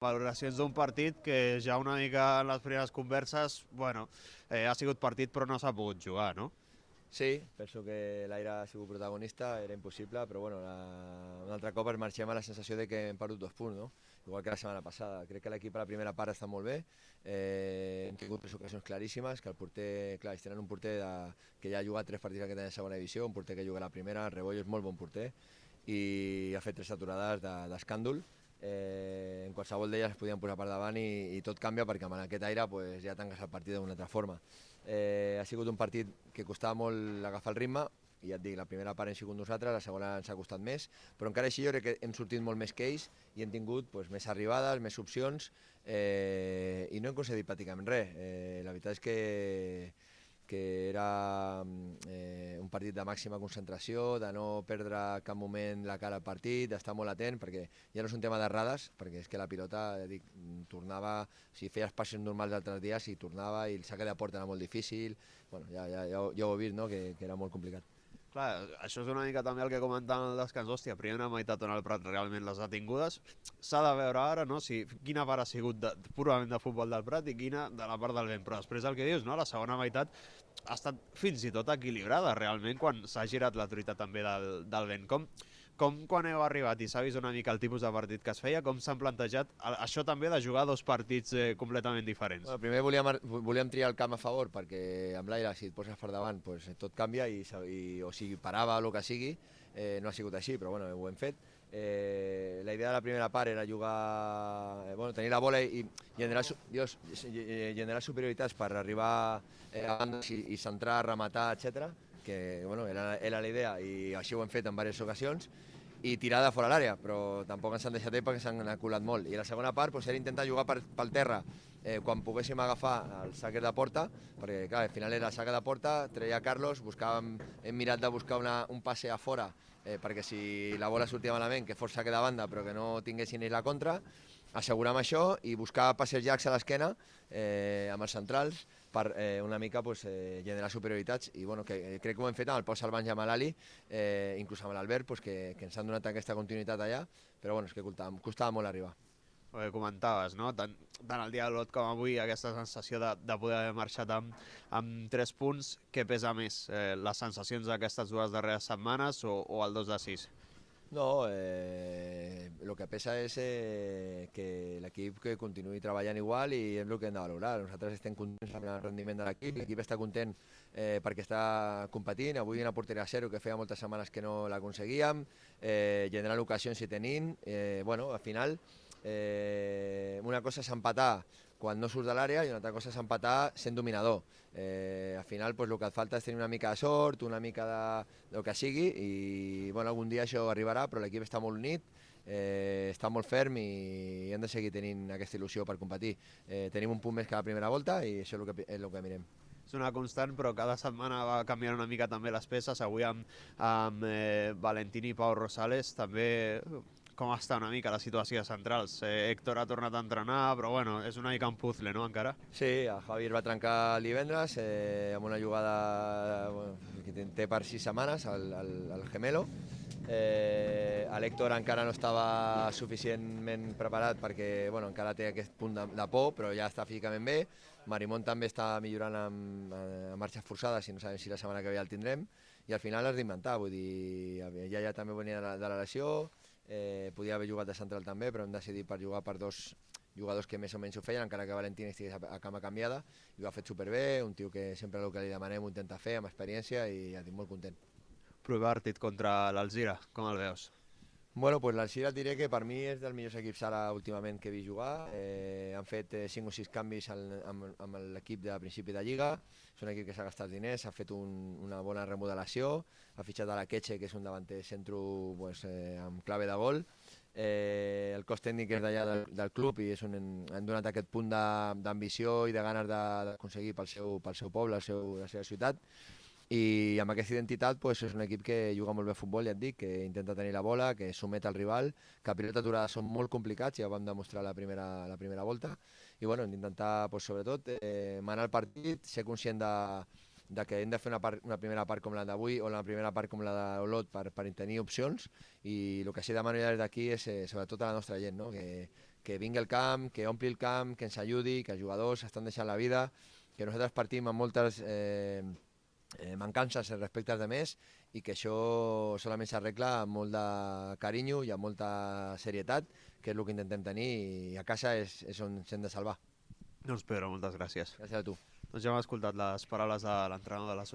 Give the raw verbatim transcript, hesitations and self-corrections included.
Valoracions d'un partit que ja una mica en les primeres converses, bueno, eh, ha sigut partit però no s'ha pogut jugar, no? Sí, penso que l'Aire ha sigut protagonista, era impossible, però bueno, la, un altre cop ens marxem amb la sensació de que hem perdut dos punts, no? Igual que la setmana passada. Crec que l'equip a la primera part està molt bé, eh, hem tingut tres ocasions claríssimes, que el porter, clar, ells tenen un porter de, que ja ha jugat tres partits aquest any de segona divisió, un porter que juga a la primera, el Rebollo és molt bon porter, i ha fet tres aturades d'escàndol. Eh, en qualsevol d'elles es podien posar per davant i, i tot canvia perquè amb aquest aire pues, ja tanques el partit d'una altra forma. Eh, ha sigut un partit que costava molt agafar el ritme, i ja et dic, la primera part hem sigut nosaltres, la segona ens ha costat més, però encara així jo crec que hem sortit molt més que ells i hem tingut pues, més arribades, més opcions, eh, i no hem concedit pràcticament res. Eh, la veritat és que que era eh, un partit de màxima concentració, de no perdre cap moment la cara al partit, d'estar molt atent, perquè ja no és un tema d'errades, perquè és que la pilota, ja dic, tornava, si feies passes normals d'altres dies, i tornava, i el saque de porta era molt difícil, bueno, ja, ja, ja, ja ho he vist, no?, que, que era molt complicat. Clar, això és una mica també el que comentàvem al descans. Hòstia, primera meitat on el Prat realment les ha tingudes. S'ha de veure ara, no?, si quina part ha sigut de, purament de futbol del Prat i quina de la part del vent. Però després el que dius, no?, la segona meitat ha estat fins i tot equilibrada realment quan s'ha girat la truita també del, del vent. Com, com quan heu arribat i s'ha vist una mica el tipus de partit que es feia, com s'han plantejat això també de jugar dos partits eh, completament diferents? Bueno, primer volíem, volíem triar el camp a favor, perquè amb l'aire, si et poses per davant, pues, tot canvia, i, i, o sigui, parava o el que sigui. Eh, no ha sigut així, però bueno, ho hem fet. Eh, la idea de la primera part era jugar, eh, bueno, tenir la bola i, i generar, Dios, generar superioritats per arribar eh, a bandes i, i centrar, rematar, etcètera, que bueno, era, era la idea, i així ho hem fet en diverses ocasions, i tirar de fora l'àrea, però tampoc ens han deixat bé perquè s'han aculat molt. I la segona part pues, era intentar jugar per, pel terra eh, quan poguéssim agafar el saque de porta, perquè clar, al final era saque de porta, treia Carlos, buscàvem, hem mirat de buscar una, un passe a fora, eh, perquè si la bola sortia malament, que fos saque de banda, però que no tinguessin ells la contra, assegurar això i buscar passes llargs a l'esquena eh, amb els centrals per eh, una mica pues, eh, generar superioritats, i bueno, que eh, crec que ho hem fet amb el Pau Salvans i amb l'Ali, eh, inclús amb l'Albert, pues, que, que ens han donat aquesta continuïtat allà, però bueno, és que costava, costava molt arribar. El que comentaves, no? Tant, tant el dia de l'Ot com avui, aquesta sensació de, de poder haver marxat amb, amb tres punts, què pesa més? Eh, les sensacions d'aquestes dues darreres setmanes o, o el dos de sis? No, eh, lo que pesa és eh, que l'equip que continuï treballant igual, i és el que hem de valorar. Nosaltres estem contents amb el rendiment de l'equip, l'equip està content eh, perquè està competint. Avui una porteria a zero que feia moltes setmanes que no l'aconseguíem, eh, generant ocasions i tenint. Eh, bueno, al final eh, una cosa és empatar quan no surts de l'àrea i una altra cosa és empatar sent dominador. Eh, al final pues, el que et falta és tenir una mica de sort, una mica de, del que sigui, i bueno, algun dia això arribarà, però l'equip està molt unit, eh, està molt ferm, i hem de seguir tenint aquesta il·lusió per competir. Eh, tenim un punt més que la primera volta i això és el que, és el que mirem. És una constant, però cada setmana va canviant una mica també les peces. Avui amb, amb eh, Valentini i Pau Rosales també com està una mica la situació de centrals. Eh, Héctor ha tornat a entrenar, però bueno, és una mica un puzzle, no, encara? Sí, el Javier va trencar el divendres eh, amb una jugada bueno, que té per sis setmanes, el, el, el gemelo. Eh, L'Héctor encara no estava suficientment preparat perquè bueno, encara té aquest punt de, de por, però ja està físicament bé. Marimón també està millorant amb, amb marxes forçades, i no sabem si la setmana que ve ja el tindrem, i al final has d'inventar, vull dir, ja, ja també venia de la, de la lesió, eh, podia haver jugat de central també, però hem decidit per jugar per dos jugadors que més o menys ho feien, encara que Valentín estigués a, a cama canviada, i ho ha fet superbé, un tio que sempre el que li demanem ho intenta fer, amb experiència, i ja estic molt content. Provar-te contra l'Alzira, com el veus? Bueno, pues l'Alzira et diré que per mi és dels millors equips ara últimament que he vist jugar. Eh, han fet eh, cinc o sis canvis al, amb, amb l'equip de principi de Lliga. És un equip que s'ha gastat diners, ha fet un, una bona remodelació, ha fitxat a la Queche, que és un davanter centre pues, eh, amb clave de gol. Eh, el cos tècnic és d'allà del, del club, i és un, han donat aquest punt d'ambició i de ganes d'aconseguir pel seu, pel seu poble, el seu, la seva ciutat. I amb aquesta identitat pues, és un equip que juga molt bé a futbol, ja et dic, que intenta tenir la bola, que somet al rival, que a pilota aturada són molt complicats, ja ho vam demostrar la primera, la primera volta, i bueno, hem d'intentar pues, sobretot eh, manar el partit, ser conscient de, de que hem de fer una, part, una primera part com la d'avui o la primera part com la d'Olot per, per tenir opcions, i el que sí demano ja des d'aquí és eh, sobretot a la nostra gent, no? que, que vingui al camp, que ompli el camp, que ens ajudi, que els jugadors estan deixant la vida, que nosaltres partim amb moltes eh, eh, mancances respecte als altres i que això solament s'arregla amb molt de carinyo i amb molta serietat, que és el que intentem tenir, i a casa és, és on ens hem de salvar. Doncs Pedro, moltes gràcies. Gràcies a tu. Doncs ja hem escoltat les paraules de l'entrenador de la